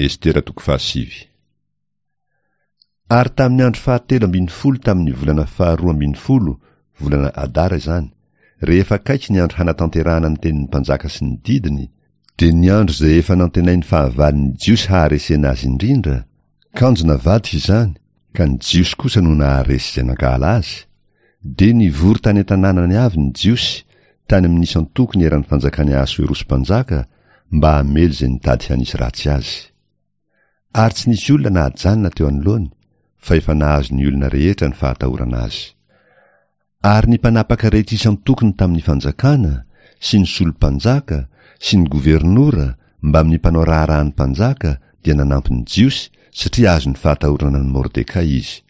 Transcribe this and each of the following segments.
Estera toko fahasivy. Ary tamin'ny andro fahatelo ambinifolo tamin'ny volana faharoa ambinifolo, volana Adara izany, rehefa akaiky ny andro hanatanterahana ny tenin'ny mpanjaka sy ny didiny, dia ny andro izay efa nantenain'ny fahavalon'ny Jiosy haharesena azy indrindra, kanjo navadika izany, ka ny Jiosy kosa no naharesy izay nankahala azy, dia nivory tany an-tanànany avy ny Jiosy, tany amin'ny isan-tokony eran'ny fanjakan'i Ahasoerosy mpanjaka, mba hamely izay nitady hanisy ratsy azy. Ary tsy nisy olona nahajanona teo anoloany, fa efa nahazo ny olona rehetra ny fahatahorana azy. Ary ny mpanapaka rehetra isan-tokony tamin'ny fanjakana, sy ny solom-panjaka, sy ny governora, mbamin'ny mpanao raharahan'ny mpanjaka, dia nanampy ny Jiosy, satria azon'ny fahatahorana an'i Mordekay izy.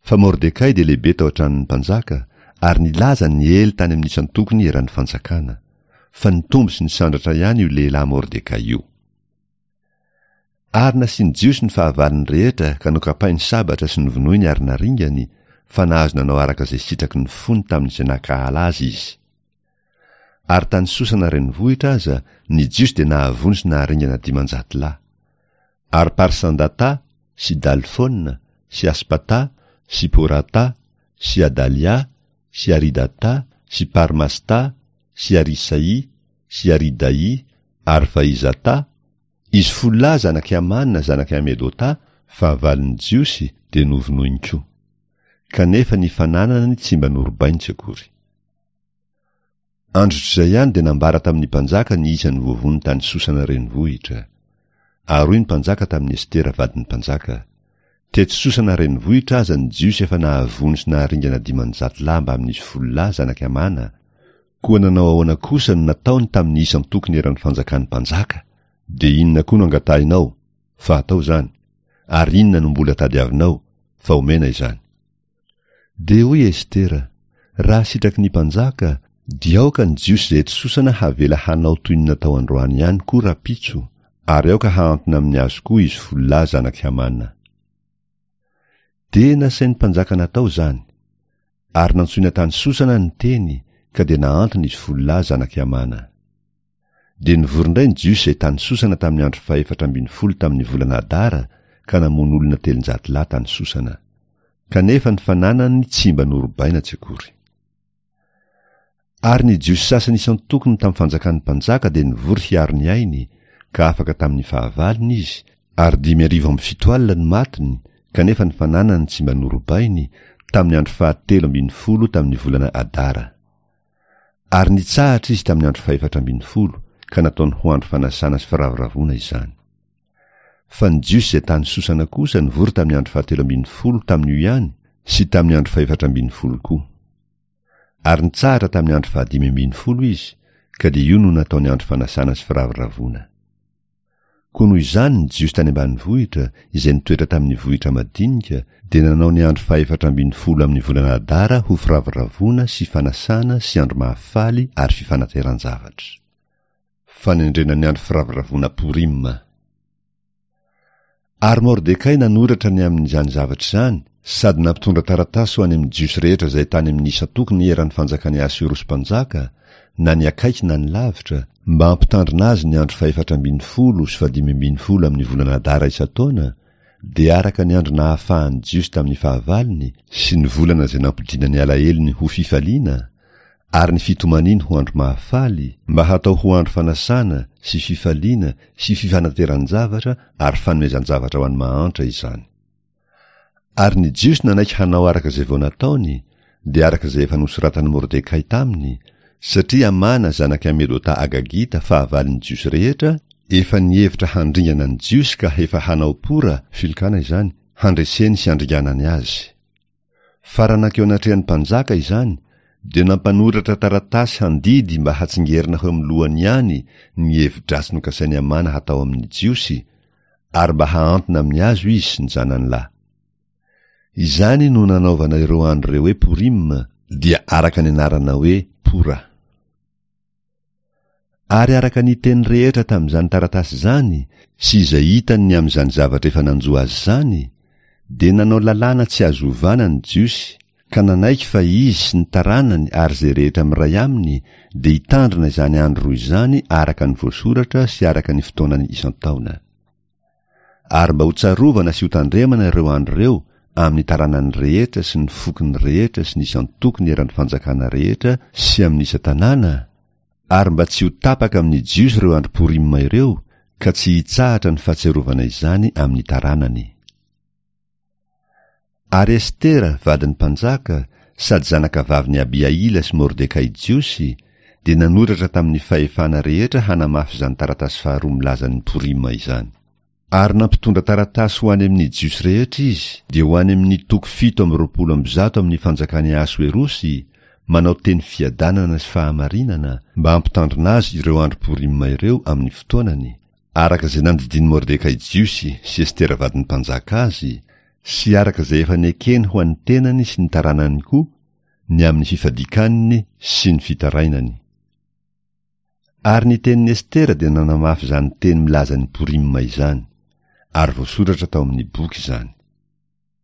Fa Mordekay dia lehibe tao an-tranon'ny mpanjaka, ary nilaza niely tany amin'ny isan-tokony eran'ny fanjakana. Fa nitombo sy nisandratra ihany io lehilahy Mordekay io. Ary nasian'ny Jiosy ny fahavalony rehetra ka nokapainy sabatra sy novonoiny ary naringany, fa nahazo nanao araka izay sitraky ny fony tamin'izay nankahala azy izy. Ary tany Sosana renivohitra aza, ny Jiosy dia nahavono sy naharingana 500 lahy. Ary Parsandata sy Dalfona sy Aspata sy Porata sy Adalia sy Aridata sy Parmasta sy Arisai sy Aridaì ary Vaizatà, izy folo lahy zanak'i Hamana zanak'i Hamedotà, fahavalon'ny Jiosy, dia novonoiny koa. Kanefa ny fananany tsy mba norobainy tsy akory. Androtr'izay ihany dia nambara tamin'ny mpanjaka ny isan'ny voavono tany Sosana renivohitra. Ary hoy ny mpanjaka tamin'i Estera vadin'ny mpanjaka, Teto Sosana renivohitra aza ny Jiosy efa nahavono sy naharingana 500 lahy mbamin'izy folo lahy zanak'i Hamana, Koa nanao ahoana kosa no nataony tamin'ny isan-tokony eran'ny fanjakan'ny mpanjaka? Dia inona koa no angatahinao, fa hatao izany? Ary inona no mbola tadiavinao, fa homena izany? Dia hoy Estera, Raha sitraky ny mpanjaka, dia aoka ny Jiosy izay eto Sosana havela hanao toy ny natao androany ihany koa rahampitso, ary aoka hahantona amin'ny azy koa izy folo lahy zanak'i Hamana. Dia nasain'ny mpanjaka natao izany. Ary nantsoina tany Sosana ny teny, ka dia nahantona izy folo lahy zanak'i Hamana. Dia nivory indray ny Jiosy izay tany Sosana tamin'ny andro fahefatra ambinifolo tamin'ny volana Adara, ka namono olona 300 lahy tany Sosana. Kanefa ny fananany tsy mba norobaina tsy akory. Ary ny Jiosy sasany isan-tokony tamin'ny fanjakan'ny mpanjaka dia nivory hiaro ny ainy, ka afaka tamin'ny fahavalony izy, ary 775 no matiny, kanefa ny fananany tsy mba norobainy, tamin'ny andro fahatelo ambinifolo tamin'ny volana Adara. Ary nitsahatra izy tamin'ny andro fahefatra ambinifolo, ka nataony ho andro fanasana sy firavoravoana izany. Fa ny Jiosy izay tany Sosana kosa nivory tamin'ny andro fahatelo ambinifolo tamin'io ihany sy tamin'ny andro fahefatra ambinifolo koa. Ary nitsahatra tamin'ny andro fahadimy ambinifolo izy, ka dia io no nataony andro fanasana sy firavoravoana. Koa noho izany ny Jiosy tany ambanivohitra, izay nitoetra tamin'ny vohitra madinika, dia nanao ny andro fahefatra ambinifolo amin'ny volana Adara ho firavoravoana sy fanasana sy andro mahafaly ary fifanateran-javatra. Fanendrena ny andro firavoravoana Porima. Ary Mordekay nanoratra ny amin'izany zavatra izany, sady nampitondra taratasy ho any amin'ny Jiosy rehetra izay tany amin'ny isan-tokony eran'ny fanjakan'i Ahasoerosy mpanjaka, na ny akaiky na ny lavitra, mba hampitandrina azy ny andro fahefatra ambinifolo sy fahadimy ambinifolo amin'ny volana Adara isan-taona, dia araka ny andro nahafahan'ny Jiosy tamin'ny fahavalony, sy ny volana izay nampodiana ny alahelony ho fifaliana, ary ny fitomaniany ho andro mahafaly, mba hatao ho andro fanasana sy fifaliana sy fifanateran-javatra ary fanomezan-javatra ho an'ny mahantra izany. Ary ny Jiosy nanaiky hanao araka izay vao nataony, dia araka izay efa nosoratan'i Mordekay taminy, satria Amana zanak'i Hamedota Agagita fahavalon'ny Jiosy rehetra, efa nihevitra handringana ny Jiosy ka efa hanao pora, filokana izany, handreseny sy handringanany azy. Fa raha nankeo anatrehan'ny mpanjaka izany, dia nampanoratra taratasy handidy mba hatsingerina ho eo amin'ny lohany ihany ny hevi-dratsy nokasain'i Hamana hatao amin'ny Jiosy, ary mba hahantona amin'ny hazo izy sy ny zanany lahy. Izany no nanaovana ireo andro ireo hoe Purim, dia araka ny anarana hoe Pora. Ary araka ny teny rehetra tamin'izany taratasy izany sy izay hitany ny amin'izany zavatra efa nanjo azy izany, dia nanao lalàna tsy azo ovana ny Jiosy, ka nanaiky fa izy sy ny taranany ary izay rehetra miray aminy dia hitandrina izany andro roa izany araka ny voasoratra sy araka ny fotoanany isan-taona. Ary mba hotsarovana sy hotandremana ireo andro ireo amin'ny taranany rehetra sy ny fokony rehetra sy ny isan-tokony eran'ny fanjakana rehetra sy amin'ny isan-tanàna, ary mba tsy ho tapaka amin'ny Jiosy ireo andro Porima ireo, ka tsy hitsahatra ny fahatsiarovana izany amin'ny taranany. Ary Estera, vadin'ny mpanjaka, sady zanakavavin'i Abihaila sy Mordekay Jiosy, dia nanoratra tamin'ny fahefana rehetra hanamafy izany taratasy faharoa milaza ny Porima izany. Ary nampitondra taratasy ho any amin'ny Jiosy rehetra izy, dia ho any amin'ny toko 127 amin'ny fanjakan'i Ahasoerosy, manao teny fiadanana sy fahamarinana, mba hampitandrina azy ireo andro Porima ireo amin'ny fotoanany, araka izay nandidian'i Mordekay Jiosy sy Estera vadin'ny mpanjaka azy, sy araka izay efa nekeny ho an'ny tenany sy ny taranany koa, ny amin'ny fifadian-kaniny sy ny fitarainany. Ary ny tenin'i Estera dia nanamafy izany teny milaza ny Porima izany, ary voasoratra tao amin'ny boky izany.